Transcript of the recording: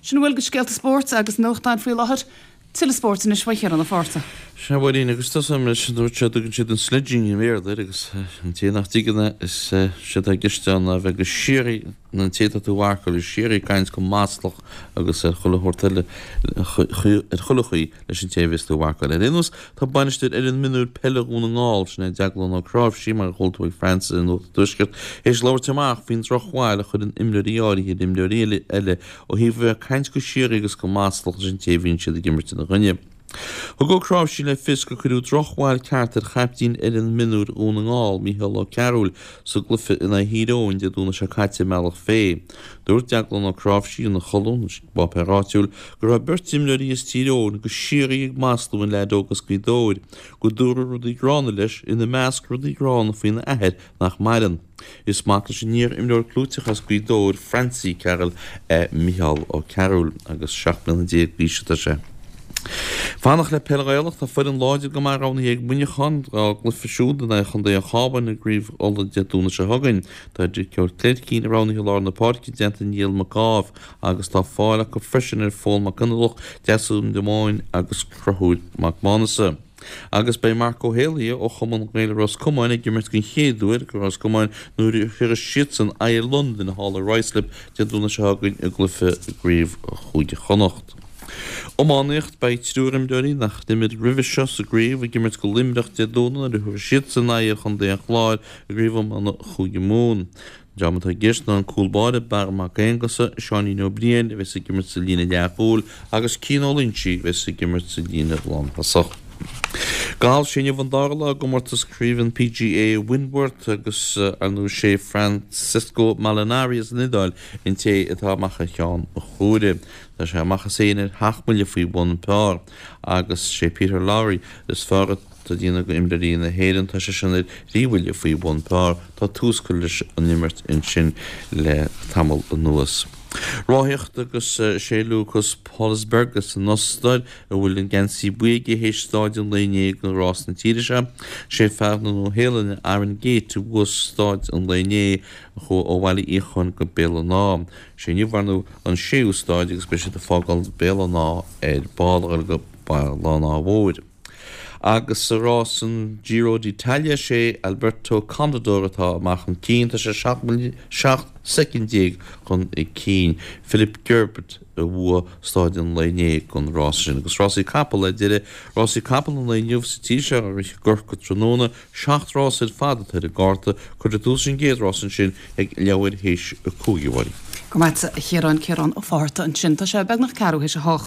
Sin a bhfuil de scéalta spóirt agus nuachtáin faoi láthair. Tuilleadh spóirt anois ó Chiarán Ó Fátharta. Sea, a Mháirín, agus tosóidh mé leis an dúirt sé, dtugann siad an sledging i mBéarla air agus an té nach dtuigeann é, is sé atá i gceist ann ná bheith go síoraí, an té atá tú a mharcáil, go síoraí ag caint go maslach agus ar chuile shórt eile, ar chuile chaoi leis an té a bheas tú a mharcáil. Ar aon nós, tá bainisteoir fhoireann mionúir peile Dhún na nGall, sin é Deaglán Ó Cnáimhsí, mar a chuala tú ag Frances i Nuacht an Tuaiscirt, théis labhairt amach faoin drochbhail a chuireann imreoirí áirithe ar imreoirí eile ó thaobh a bheith ag caint go síoraí agus go maslach leis an té a bhíonn siad ag imirt ina choinne. Thug Ó Cnáimhsí le fios gur cuireadh drochbhail ceart ar chaiptín fhoireann mionúir Dhún na nGall, Micheál Ó Cearúil, sa gcluiche in aghaidh Thír Eoghain Dé Domhnaigh seo caite i mBealach Féich. Dúirt Deaglán Ó Cnáimhsí ina cholún i bpáipéar áitiúil go raibh beirt imreoirí as Tír Eoghain go síoraí ag maslú an leaid óg as Gaoth Dobhair, go dúradh rudaí gránna leis, ina measc rudaí gránna faoina athair nach maireann. Is mac leis an iar-imreoir clúiteach as Gaoth Dobhair, Francie Carroll, é Micheál Ó Cearúil agus 17 mbliana d'aois atá sé. Fanacht le peil Ghaelach, tá foireann láidir go maith roghnaithe ag Muineachán dá gcluiche siúd in aghaidh Chontae an Chabháin i gCraobh Uladh Dé Domhnaigh seo chugainn. Tá Dicky Ó Cleircín roghnaithe i lár na páirce i dteannta Niall Mac Ádhaimh agus tá fáil acu freisin ar Phól Mac Fhionnlaoich, Deasún de Móin agus Conchúr Mac Maghnusa. Agus beidh Marc Ó hÉalaithe ó Chumann Gael Ros Comáin ag imirt den chéad uair do Ros Comáin nuair a thabharfas siadsan aghaidh ar Londain thall i Ruislip Dé Domhnaigh seo chugainn i gcluiche i gCraobh Chúige Chonnacht. Iománaíocht, Beidh triúr imreoirí nach d'imir roimhe seo sa gcraobh ag imirt do Luimneach Dé Domhnaigh nuair a thabharfaidh siadsan aghaidh ar Chontae an Chláir i gCraobh Iomána Chúige Mumhan. An dream atá i gceist ná an cúl báire Barra Mac Aonghusa, Seáinín Ó Briain a bheas ag imirt sa líne leathchúil agus Cian Ó Loingsigh a bheas ag imirt sa líne lánthosach. Galf, Sé inniu an dara lá i gcomórtas craoibhe an PGA Wentworth agus ar ndóigh sé Francesco Molinari as an Iodáil an té atá amach ar cheann an chuaire. Tá sé amach is é ar sheacht mbuille faoi bhun par agus sé Peter Lawrie is fearr Tá déanamh go imreoirí na hÉireann, tá sé sin ar thrí bhuille faoi bhun par. Tá tús curtha leis an imirt ansin le tamall anuas. Ráthaíocht agus sé Lukas Pollersbeck as an Ostair a bhfuil an geansaí buí aige théis stáid an lae inné do rás na tíre seo. Sé fear na Nua-Shéalainne Aaron Gate a bhuaigh stáid an lae inné a chuaigh ó Bhaile Fhiacháin go Béal an Átha. Sé inniu ar ndóigh an séú stáid agus beidh siad ag fágáil Béal an Átha ar ball a dhul go Baile an Átha Mhóir. Agus sa rás an Giro d'Italia, sé Alberto Contador atá amach chun cinn. Tá sé 17 soicind chun cinn. Philippe Gilbert a bhuaigh stáid an lae inné don rás sin. Agus rásaí capall ar deireadh. Rásaí capall an lae inniu sa tír seo á rith i gCorcaigh tráthnóna. Seacht rás ar fad atá ar an gcárta. Cuirfear tús leis an gcéad rás ansin ag leathuair théis a 5, a Mháirín. Go raibh maith agat, a Chiaráin. Ciarán Ó Fátharta ansin. Tá sé beagnach ceathrú théis a hocht.